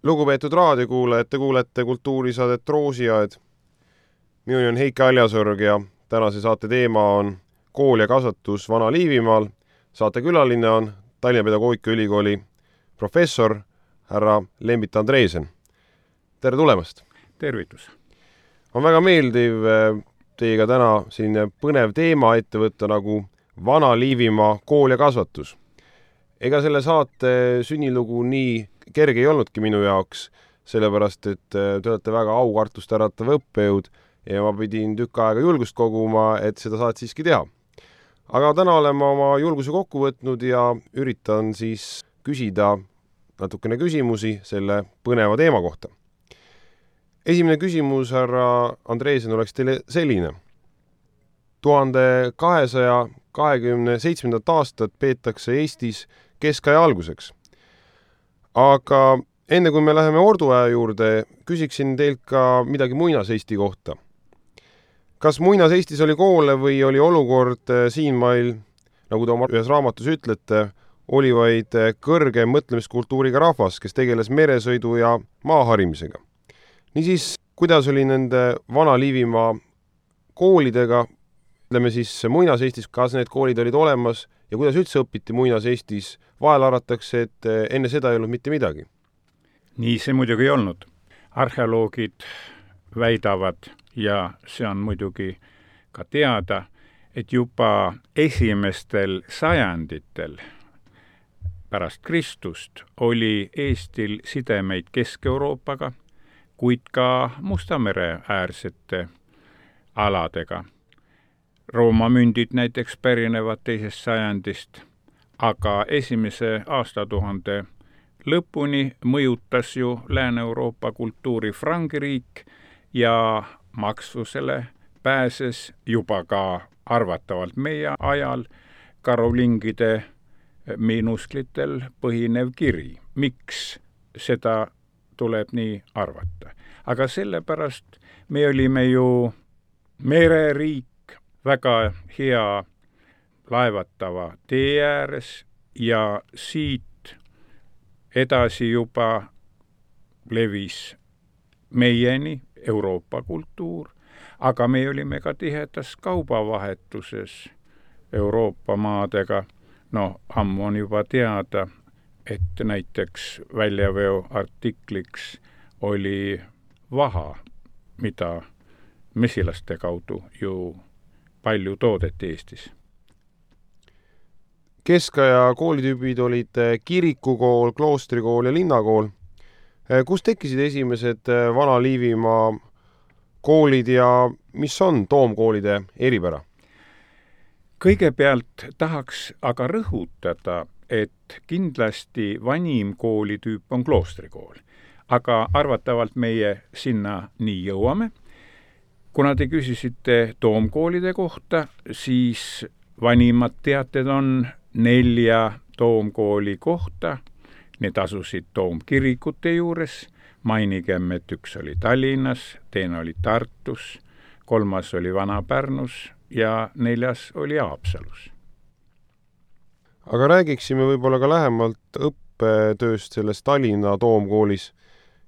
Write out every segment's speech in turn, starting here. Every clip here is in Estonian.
Lugupeetud raadiokuulajad, te kuulete kultuurisaadet Roosiaed. Minu on Heiki Aljasorg ja tänase saate teema on kool ja kasvatus Vana-Liivimaal. Saate külaline on Tallinna Pedagoogikaülikooli professor härra Lembit Andreesen. Tere tulemast! Tervitus! On väga meeldiv teiega täna siin põnev teema ette võtta nagu Vana-Liivimaa kool ja kasvatus. Ega selle saate sünnilugu nii kerge ei olnudki minu jaoks, sellepärast, et te olete väga aukartust äratav õppejõud ja ma pidin tükk aega julgust koguma, et seda saad siiski teha. Aga täna olen ma oma julguse kokku võtnud ja üritan siis küsida natukene küsimusi selle põneva teema kohta. Esimene küsimus, härra Andreesen, oleks teile selline. 1227. aastat peetakse Eestis keskaja alguseks. Aga enne kui me läheme orduaja juurde, küsiksin teilt ka midagi Muinas-Eesti kohta. Kas Muinas-Eestis oli koole või oli olukord siinmail, nagu te oma ühes raamatus ütlete, oli vaid kõrge mõtlemiskultuuriga rahvas, kes tegeles meresõidu ja maaharimisega? Niisiis, kuidas oli nende Vana-Liivimaa koolidega, ütleme siis Muinas-Eestis, kas need koolid olid olemas ja kuidas üldse õpiti Muinas-Eestis? Vahel arvatakse, et enne seda ei olnud mitte midagi. Nii see muidugi ei olnud. Arheoloogid väidavad, ja see on muidugi ka teada, et juba esimestel sajanditel pärast Kristust oli Eestil sidemeid Kesk-Euroopaga, kuid ka Musta mere äärsete aladega. Rooma mündid näiteks pärinevad teisest sajandist, aga esimese aastatuhande lõpuni mõjutas ju Lääne-Euroopa kultuuri Frangiriik ja maksvusele pääses juba ka arvatavalt meie ajal karolingide minusklitel põhinev kiri. Miks seda tuleb nii arvata? Aga sellepärast me olime ju mereriik, väga hea laevatava tee ääres ja siit edasi juba levis meieni Euroopa kultuur, aga me olime ka tihedas kaubavahetuses Euroopa maadega. No, ammu on juba teada, et näiteks väljaveo artikliks oli vaha, mida mesilaste kaudu ju palju toodeti Eestis. Keskaja koolitüübid olid kirikukool, kloostrikool ja linnakool. Kus tekkisid esimesed Vana-Liivimaa koolid ja mis on toomkoolide eripära? Kõigepealt tahaks aga rõhutada, et kindlasti vanim koolitüüp on kloostrikool, aga arvatavalt meie sinna nii jõuame. Kuna te küsisite toomkoolide kohta, siis vanimad teated on 4 toomkooli kohta. Need asusid toomkirikute juures. Mainigem, et üks oli Tallinnas, teine oli Tartus, 3. oli Vana-Pärnus ja 4. oli Haapsalus. Aga räägiksime võib-olla ka lähemalt õppetööst selles Tallinna toomkoolis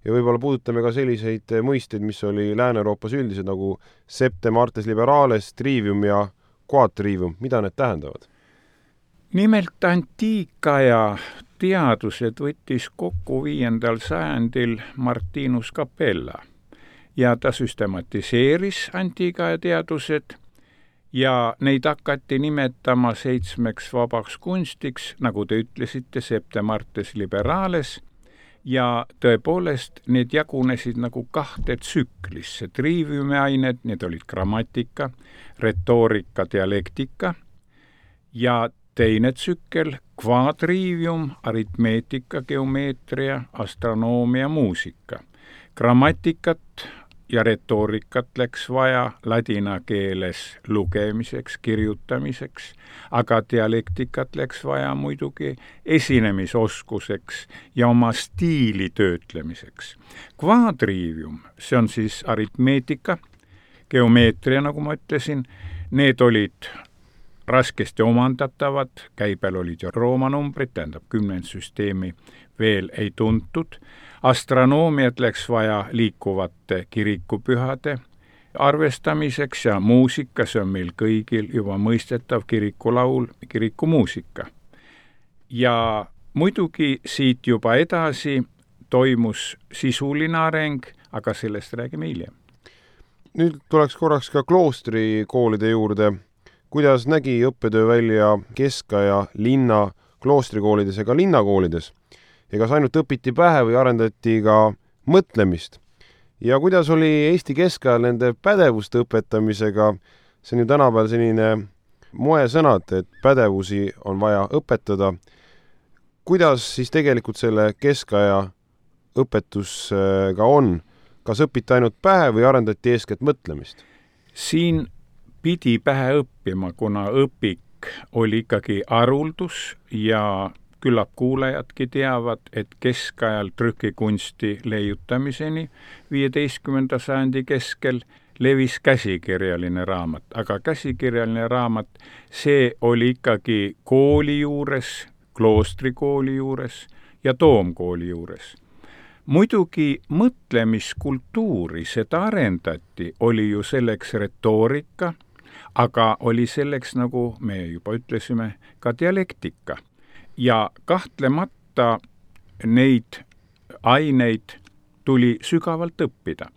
ja võib-olla puudutame ka selliseid mõisteid, mis oli Lääne-Euroopas üldised nagu septem artes liberales, trivium ja quadrivium. Mida need tähendavad? Nimelt antiikaja teadused võttis kokku 5. sajandil Martinus Capella ja ta süstematiseeris antiikaja teadused ja neid hakati nimetama 7 vabaks kunstiks, nagu te ütlesite, septem artes liberales, ja tõepoolest need jagunesid nagu 2 tsüklisse. Triviumi ained, need olid grammatika, retoorika, dialektika ja teine tsükkel, quadrivium, aritmeetika, geomeetria, astronoomia, muusika. Grammatikat ja retoorikat läks vaja ladina keeles lugemiseks, kirjutamiseks, aga dialektikat läks vaja muidugi esinemisoskuseks ja oma stiili töötlemiseks. Quadrivium, see on siis aritmeetika, geomeetria, nagu ma ütlesin, need olid raskesti omandatavad, käibel olid ju Rooma numbrid, tähendab 10 süsteemi veel ei tuntud. Astronoomiat läks vaja liikuvate kirikupühade arvestamiseks ja muusika, see on meil kõigil juba mõistetav, kirikulaul, kirikumuusika. Ja muidugi siit juba edasi toimus sisuline areng, aga sellest räägime hiljem. Nüüd tuleks korraks ka kloostrikoolide juurde. Kuidas nägi õppetöö välja keskaja linna kloostrikoolides ja ka linnakoolides? Ja kas ainult õpiti pähe või arendati ka mõtlemist? Ja kuidas oli Eesti keskajal nende pädevuste õpetamisega? See on ju tänapäeval selline moesõnad, et pädevusi on vaja õpetada. Kuidas siis tegelikult selle keskaja õpetusega on? Kas õpiti ainult pähe või arendati eeskätt mõtlemist? Siin pidi pähe õppima, kuna õpik oli ikkagi haruldus ja küllap kuulajadki teavad, et keskajal trükikunsti leiutamiseni 15. sajandi keskel levis käsikirjaline raamat, aga käsikirjaline raamat, see oli ikkagi kooli juures, kloostrikooli juures ja toomkooli juures. Muidugi mõtlemiskultuuri seda arendati, oli ju selleks retoorika, aga oli selleks, nagu me juba ütlesime, ka dialektika. Ja kahtlemata neid aineid tuli sügavalt õppida.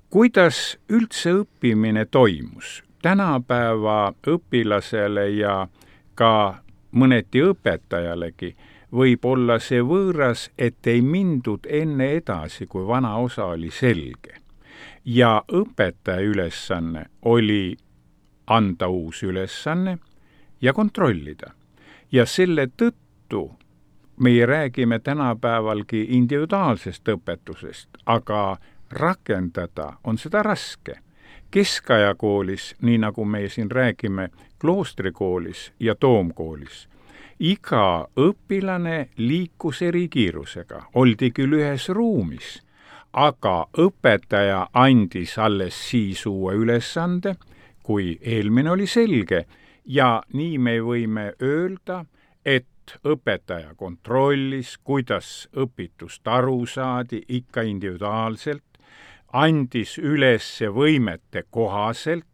Kuidas üldse õppimine toimus? Tänapäeva õpilasele ja ka mõneti õpetajalegi võib olla see võõras, et ei mindud enne edasi, kui vana osa oli selge. Ja õpetaja ülesanne oli anda uus ülesanne ja kontrollida. Ja selle tõttu meie räägime tänapäevalgi individuaalsest õpetusest, aga rakendada on seda raske. Keskajakoolis, nii nagu me siin räägime kloostrikoolis ja toomkoolis, iga õpilane liikus eri kiirusega, oldi küll ühes ruumis, aga õpetaja andis alles siis uue ülesande, kui eelmine oli selge, ja nii me võime öelda, et õpetaja kontrollis, kuidas õpitust aru saadi ikka individuaalselt, andis üles võimete kohaselt,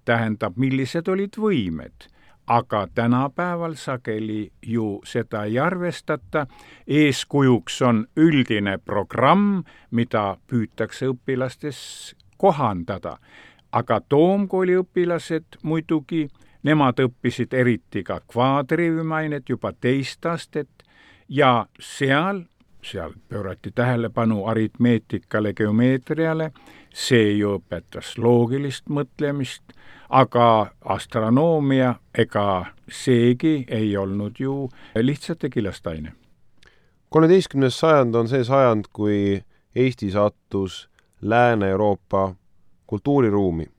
tähendab, millised olid võimed, aga tänapäeval sageli ju seda ei arvestata. Eeskujuks on üldine programm, mida püütakse õpilastes kohandada. Aga toomkooli õpilased muidugi, nemad õppisid eriti ka kvaadriivimained juba teist astet ja seal pöörati tähelepanu aritmeetikale, geomeetriale, see ju õpetas loogilist mõtlemist, aga astronoomia ega seegi ei olnud ju lihtsalt tegilastaine. 13. sajand on see sajand, kui Eesti sattus Lääne-Euroopa kultuuriruumi.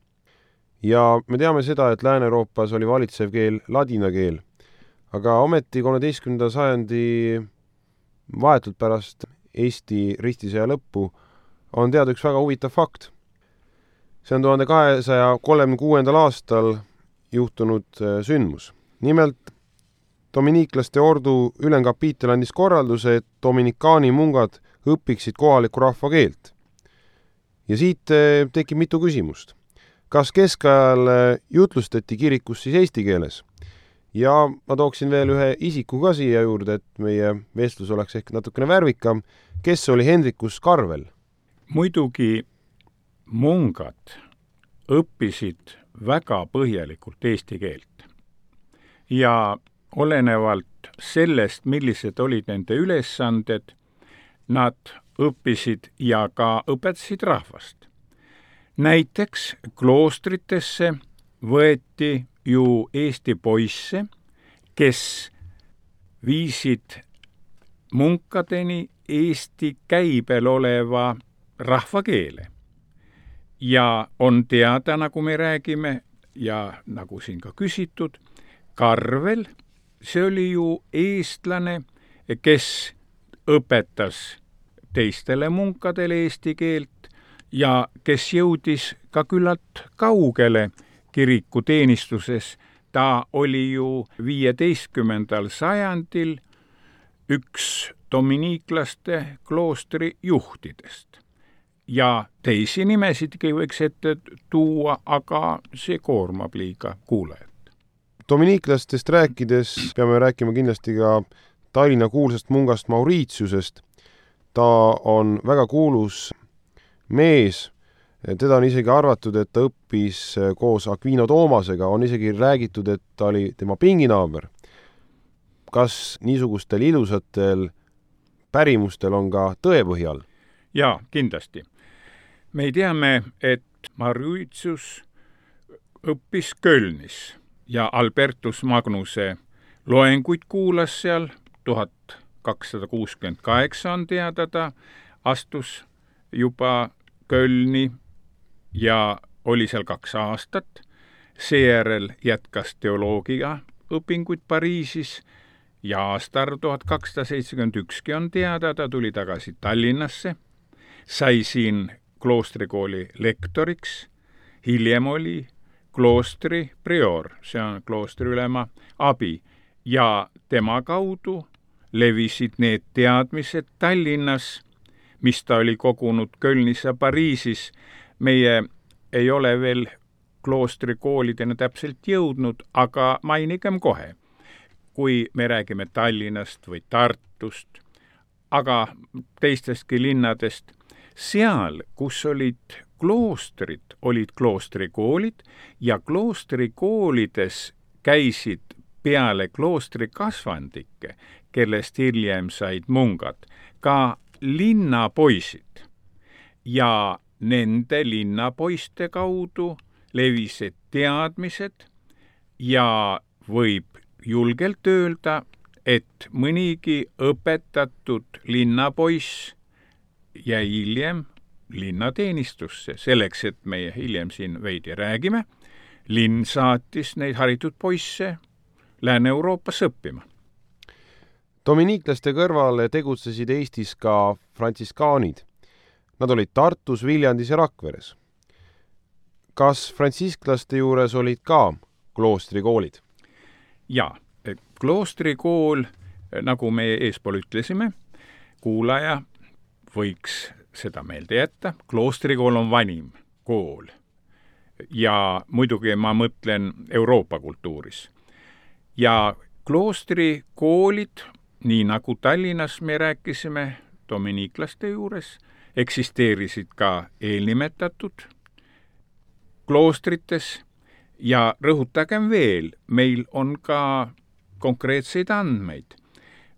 Ja me teame seda, et Lääne-Euroopas oli valitsev keel ladina keel, aga ometi 13. sajandi vahetult pärast Eesti ristisõja lõppu on teada üks väga huvitav fakt. See on 1236. aastal juhtunud sündmus. Nimelt dominiiklaste ordu ülemkapiitel andis korralduse, et dominikaani mungad õpiksid kohaliku rahva keelt. Ja siit tekib mitu küsimust. Kas keskajal jutlustati kirikus siis eesti keeles? Ja ma tooksin veel ühe isiku ka siia juurde, et meie vestlus oleks ehk natukene värvikam. Kes oli Hendrikus Karvel? Muidugi mungad õppisid väga põhjalikult eesti keelt. Ja olenevalt sellest, millised olid nende ülesanded, nad õppisid ja ka õpetasid rahvast. Näiteks kloostritesse võeti ju Eesti poisse, kes viisid munkadeni Eesti käibel oleva rahvakeele. Ja on teada, nagu me räägime, ja nagu siin ka küsitud, Karvel, see oli ju eestlane, kes õpetas teistele munkadele eesti keelt ja kes jõudis ka küllalt kaugele kirikuteenistuses. ta oli ju 15. sajandil üks dominiiklaste kloostri juhtidest. Ja teisi nimesidki võiks ette tuua, aga see koormab liiga kuulajat. Dominiiklastest rääkides peame rääkima kindlasti ka Tallinna kuulsast mungast Mauritiusest. Ta on väga kuulus mees. Teda on isegi arvatud, et ta õppis koos Aquino Toomasega. On isegi räägitud, et ta oli tema pinginaaber. Kas niisugustel ilusatel pärimustel on ka tõepõhjal? Jaa, kindlasti. Me teame, et Mauritius õppis Kölnis ja Albertus Magnuse loenguid kuulas seal. 1268 on teada, ta astus juba Kölni ja oli seal 2 aastat. Seejärel jätkas teoloogia õpinguid Pariisis ja aastal 1271 on teada, ta tuli tagasi Tallinnasse, sai siin kloostrikooli lektoriks, hiljem oli kloostri prior, see on kloostri ülema abi, ja tema kaudu levisid need teadmised Tallinnas, mis ta oli kogunud Kölnis ja Pariisis. Meie ei ole veel kloostrikoolidena täpselt jõudnud, aga mainigem kohe, kui me räägime Tallinnast või Tartust, aga teistestki linnadest, seal, kus olid kloostrid, olid kloostrikoolid ja kloostrikoolides käisid peale kloostrikasvandikke, kellest hiljem said mungad, ka linnapoisid. Ja nende linnapoiste kaudu levisid teadmised ja võib julgelt öelda, et mõnigi õpetatud linnapoiss jäi hiljem linnateenistusse. Selleks, et meie hiljem siin veidi räägime, linn saatis neid haritud poisse Lääne-Euroopas õppima. Dominiiklaste kõrval tegutsesid Eestis ka frantsiskaanid. Nad olid Tartus, Viljandis ja Rakveres. Kas frantsisklaste juures olid ka kloostrikoolid? Jaa, kloostrikool, nagu me eespool ütlesime, kuulaja võiks seda meelde jätta. Kloostrikool on vanim kool ja muidugi ma mõtlen Euroopa kultuuris. Ja kloostrikoolid, nii nagu Tallinnas me rääkisime dominiiklaste juures, eksisteerisid ka eelnimetatud kloostrites ja rõhutagem veel, meil on ka konkreetseid andmeid.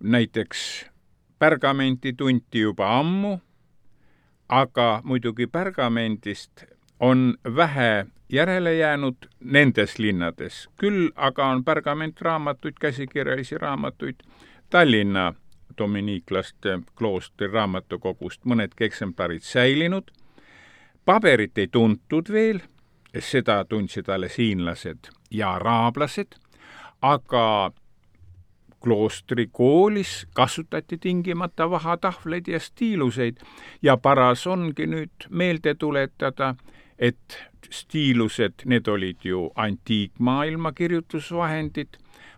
Näiteks pergamenti tunti juba ammu, aga muidugi pergamendist on vähe järele jäänud nendes linnades. Küll aga on pergamentraamatuid, käsikirjalisi raamatuid Tallinna dominiiklaste kloostri raamatukogust mõnedki eksemplarid säilinud. Paberit ei tuntud veel, seda tundsid alles hiinlased ja araablased, aga kloostrikoolis kasutati tingimata vahatahvleid ja stiiluseid ja paras ongi nüüd meelde tuletada, et stiilused, need olid ju antiikmaailma kirjutusvahendid,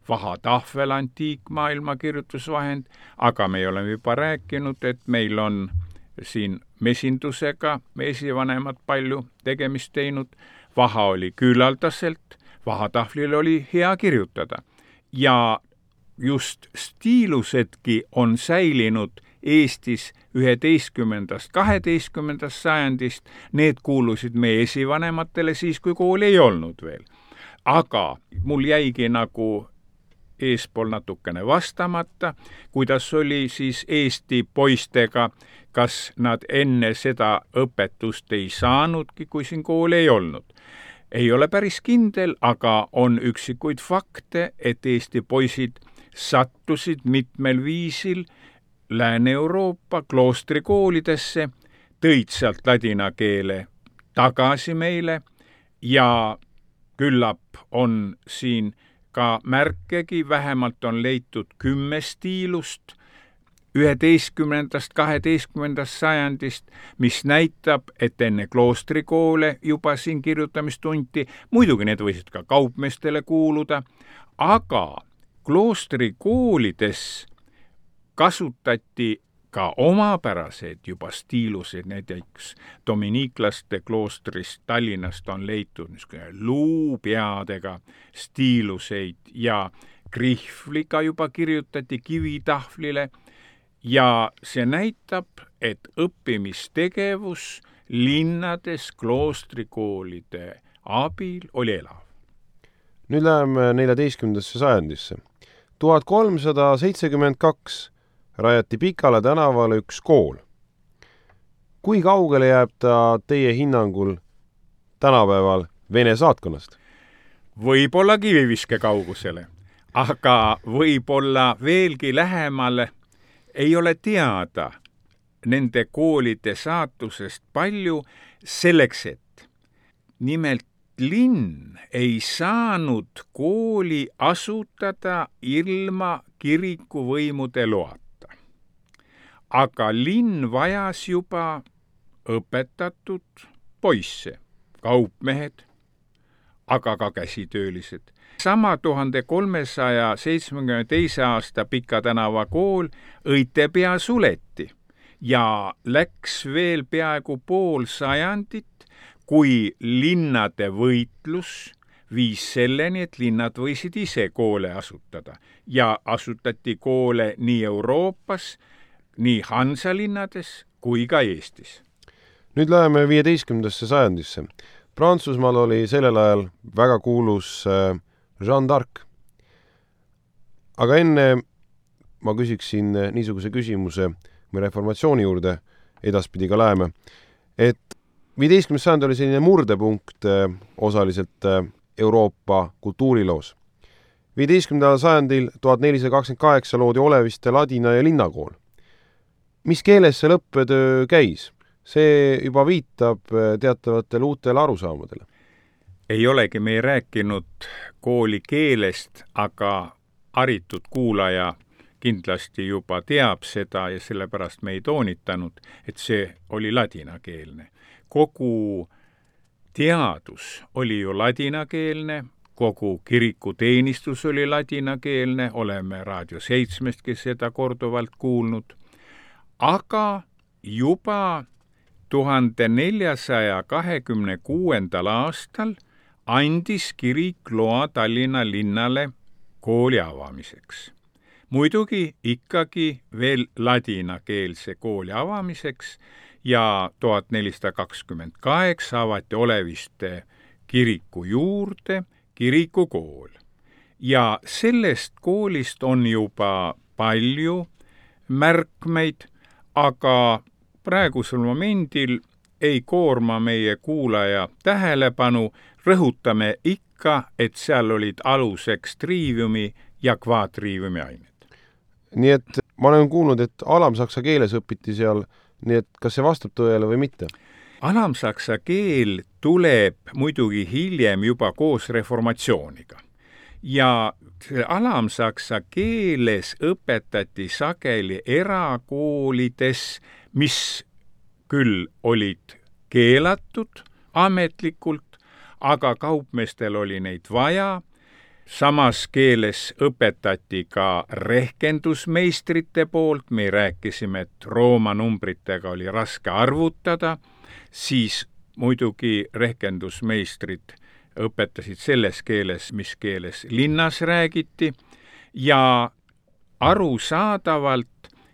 vahatahvel antiikmaailma kirjutusvahend, aga me oleme juba rääkinud, et meil on siin mesindusega esivanemad palju tegemist teinud, vaha oli küllaldaselt, vahatahvlil oli hea kirjutada ja just stiilusedki on säilinud Eestis 11. 12. sajandist, need kuulusid meie esivanematele siis, kui kooli ei olnud veel. Aga mul jäigi nagu eespool natukene vastamata, kuidas oli siis Eesti poistega, kas nad enne seda õpetust ei saanudki, kui siin kooli ei olnud. Ei ole päris kindel, aga on üksikuid fakte, et Eesti poisid sattusid mitmel viisil Lääne-Euroopa kloostrikoolidesse, tõid sealt ladina keele tagasi meile ja küllap on siin ka märkegi, vähemalt on leitud 10 stiilust, 11., 12. sajandist, mis näitab, et enne kloostrikoole juba siin kirjutamist tunti, muidugi need võisid ka kaupmeestele kuuluda, aga kloostrikoolides kasutati ka omapäraseid juba stiiluseid, näiteks dominiiklaste kloostrist Tallinnast on leitud luupeadega stiiluseid ja krihvliga juba kirjutati kivitahvlile ja see näitab, et õppimistegevus linnades kloostrikoolide abil oli elav. Nüüd läheme 14. sajandisse. 1372 rajati Pikala tänavale üks kool. Kui kaugele jääb ta teie hinnangul tänapäeval Vene saatkonnast? Võib-olla kiviviske kaugusele, aga võib-olla veelgi lähemale. Ei ole teada nende koolide saatusest palju selleks, et nimelt linn ei saanud kooli asutada ilma kirikuvõimude loata. Aga linn vajas juba õpetatud poisse, kaupmehed, aga ka käsitöölised. Sama 1372. aasta Pika tänava kool õite pea suleti ja läks veel peaaegu pool sajandit, kui linnade võitlus viis selleni, et linnad võisid ise koole asutada ja asutati koole nii Euroopas, nii Hansalinnades kui ka Eestis. Nüüd läheme 15. sajandisse. Prantsusmaal oli sellel ajal väga kuulus Jeanne d'Arc. Aga enne ma küsiksin niisuguse küsimuse, me reformatsiooni juurde edaspidi ka läheme, et 15. sajand oli selline murdepunkt osaliselt Euroopa kultuuriloos. 15. sajandil 1428 loodi Oleviste ladina- ja linnakool. Mis keeles see õppetöö käis? See juba viitab teatavatele uutele arusaamadele. Ei olegi me rääkinud kooli keelest, aga haritud kuulaja kindlasti juba teab seda ja sellepärast me ei toonitanud, et see oli ladinakeelne. Kogu teadus oli ju ladinakeelne, kogu kirikuteenistus oli ladinakeelne, oleme Raadio 7-stki seda korduvalt kuulnud, aga juba 1426. aastal andis kirik loa Tallinna linnale kooli avamiseks. Muidugi ikkagi veel ladinakeelse kooli avamiseks ja 1428 avati Oleviste kiriku juurde kirikukool. Ja sellest koolist on juba palju märkmeid, aga praegusel momendil ei koorma meie kuulaja tähelepanu, rõhutame ikka, et seal olid aluseks triiviumi ja kvaatriiviumi ained. Nii et ma olen kuulnud, et alamsaksa keeles õpiti seal, nii et kas see vastab tõele või mitte? Alamsaksa keel tuleb muidugi hiljem juba koos reformatsiooniga. Ja alamsaksa keeles õpetati sageli erakoolides, mis küll olid keelatud ametlikult, aga kaupmeestel oli neid vaja. Samas keeles õpetati ka rehkendusmeistrite poolt, me rääkisime, et Rooma numbritega oli raske arvutada, siis muidugi rehkendusmeistrid õpetasid selles keeles, mis keeles linnas räägiti ja arusaadavalt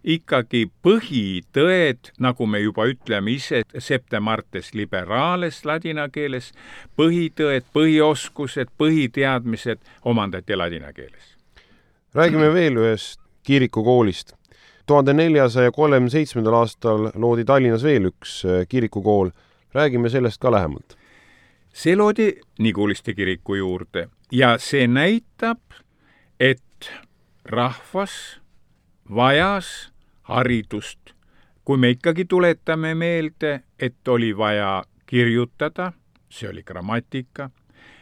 ikkagi põhitõed, nagu me juba ütleme ise, septemartes liberales ladina keeles, põhitõed, põhioskused, põhiteadmised omandati ladina keeles. Räägime veel ühest kirikukoolist. 1437. aastal loodi Tallinnas veel üks kirikukool. Räägime sellest ka lähemalt. See loodi Niguliste kiriku juurde ja see näitab, et rahvas vajas haridust. Kui me ikkagi tuletame meelde, et oli vaja kirjutada, see oli grammatika,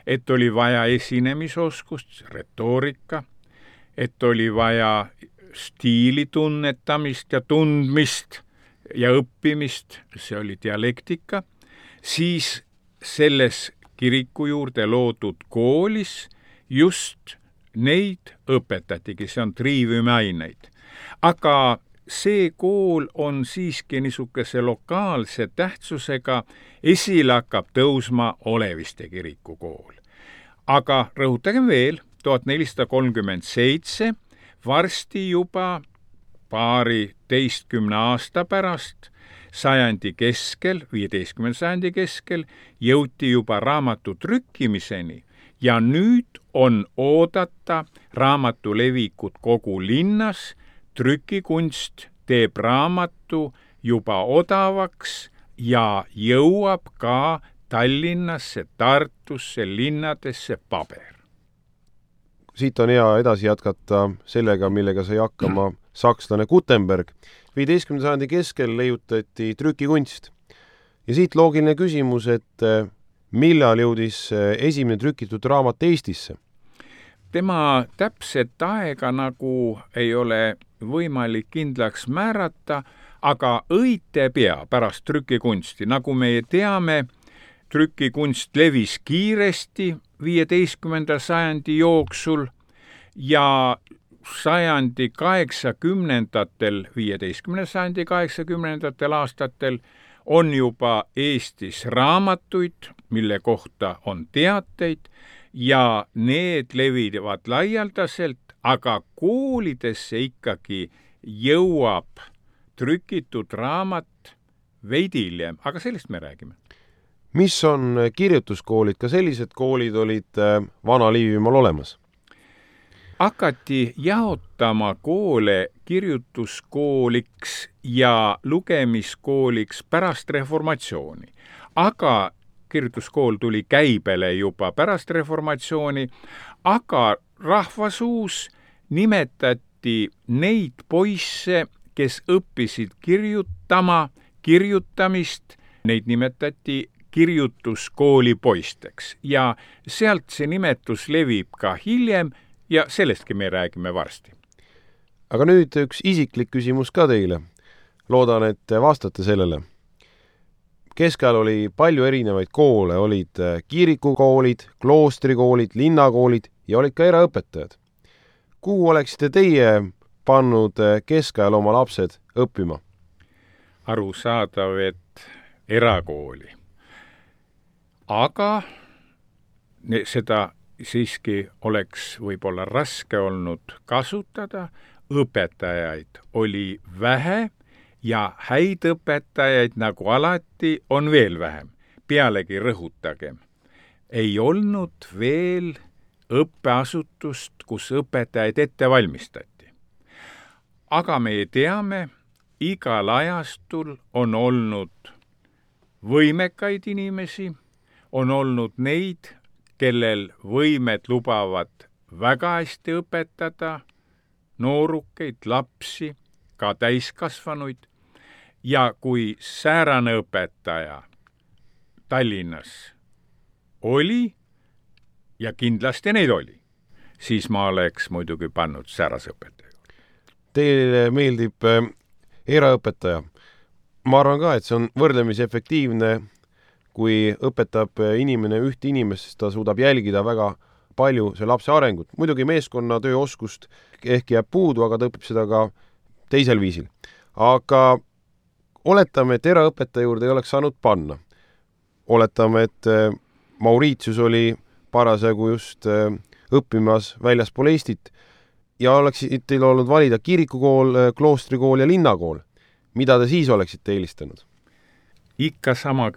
et oli vaja esinemisoskust, retoorika, et oli vaja stiili tunnetamist ja tundmist ja õppimist, see oli dialektika, siis selles kiriku juurde loodud koolis just neid õpetatigi, see on triiviumiaineid. Aga see kool on siiski niisuguse lokaalse tähtsusega, esile hakkab tõusma Oleviste kiriku kool. Aga rõhutagem veel, 1437, varsti juba 12 aasta pärast, sajandi keskel, 15. sajandi keskel, jõuti juba raamatu trükkimiseni ja nüüd on oodata raamatu levikut kogu linnas. Trükikunst teeb raamatu juba odavaks ja jõuab ka Tallinnasse, Tartusse, linnadesse paber. Siit on hea edasi jätkata sellega, millega sai hakkama sakslane Gutenberg. 15. sajandi keskel leiutati trükikunst. Ja siit loogiline küsimus, et millal jõudis esimene trükitud raamat Eestisse? Tema täpset aega nagu ei ole võimalik kindlaks määrata, aga õite pea pärast trükikunsti. Nagu me teame, trükikunst levis kiiresti 15. sajandi jooksul ja sajandi 80-ndatel, 15. sajandi 80-ndatel aastatel on juba Eestis raamatuid, mille kohta on teateid ja need levivad laialdaselt, aga koolidesse ikkagi jõuab trükitud raamat veidi hiljem, aga sellest me räägime. Mis on kirjutuskoolid? Ka sellised koolid olid Vana-Liivimaal olemas? Hakati jaotama koole kirjutuskooliks ja lugemiskooliks pärast reformatsiooni. Aga kirjutuskool tuli käibele juba pärast reformatsiooni, aga rahvasuus nimetati neid poisse, kes õppisid kirjutamist, neid nimetati kirjutuskooli poisteks ja sealt see nimetus levib ka hiljem ja sellestki me räägime varsti. Aga nüüd üks isiklik küsimus ka teile. Loodan, et vastate sellele. Keskajal oli palju erinevaid koole, olid kirikukoolid, kloostrikoolid, linnakoolid ja olid ka eraõpetajad. Kuhu oleksite teie pannud keskajal oma lapsed õppima? Arusaadav, et erakooli. Aga seda siiski oleks võib-olla raske olnud kasutada, õpetajaid oli vähe ja häid õpetajaid nagu alati on veel vähem. Pealegi rõhutagem, ei olnud veel õppeasutust, kus õpetajaid ette valmistati. Aga me teame, igal ajastul on olnud võimekaid inimesi, on olnud neid, kellel võimed lubavad väga hästi õpetada noorukeid, lapsi, ka täiskasvanuid. Ja kui säärane õpetaja Tallinnas oli, ja kindlasti neid oli, siis ma oleks muidugi pannud säärase õpetaja. Teile meeldib eraõpetaja. Ma arvan ka, et see on võrdlemisi efektiivne, kui õpetab inimene ühte inimest, siis ta suudab jälgida väga palju see lapse arengut. Muidugi meeskonna tööoskust ehk jääb puudu, aga ta õpib seda ka teisel viisil. Aga oletame, et eraõpetaja juurde ei oleks saanud panna. Oletame, et Mauritius oli parasjagu just õppimas väljaspool Eestit ja oleksid teil olnud valida kirikukool, kloostrikool ja linnakool. Mida te siis oleksite eelistanud? Ikka sama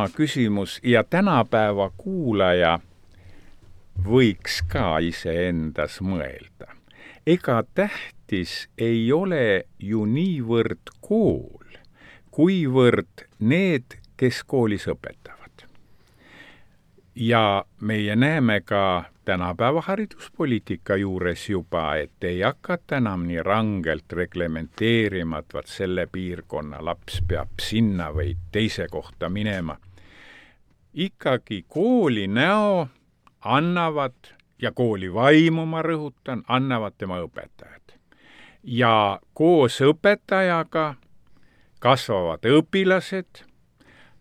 küsimus ja tänapäeva kuulaja võiks ka iseendas mõelda. Ega tähtis ei ole ju niivõrd kool, kuivõrd need, kes koolis õpetavad. Ja meie näeme ka tänapäeva hariduspoliitika juures juba, et ei hakata enam nii rangelt reglementeerima, et vaat selle piirkonna laps peab sinna või teise kohta minema. Ikkagi kooli näo annavad ja kooli vaimu, ma rõhutan, annavad tema õpetajad. Ja koos õpetajaga kasvavad õpilased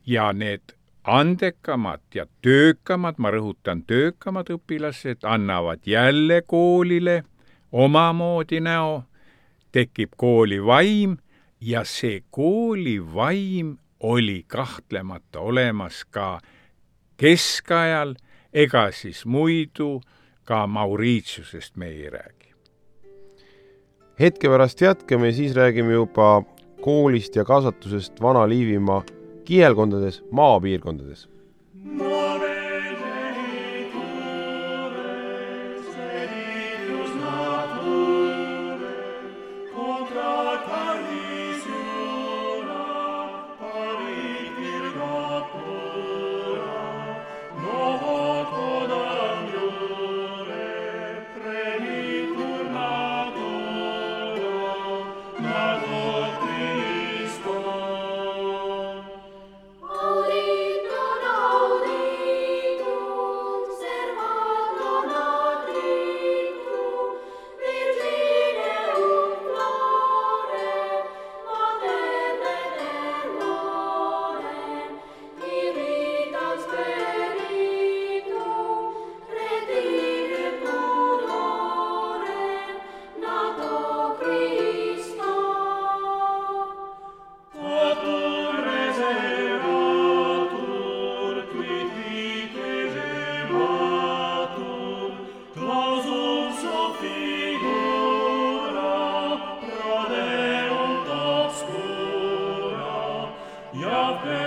ja need andekamad ja töökamad, ma rõhutan, töökamad õpilased annavad jälle koolile omamoodi näo, tekib kooli vaim ja see kooli vaim oli kahtlemata olemas ka keskajal, ega siis muidu ka Mauritiusest me ei räägi. Hetke pärast jätkame, siis räägime juba koolist ja kasvatusest Vana-Liivimaa kihelkondades, maapiirkondades. Yahweh.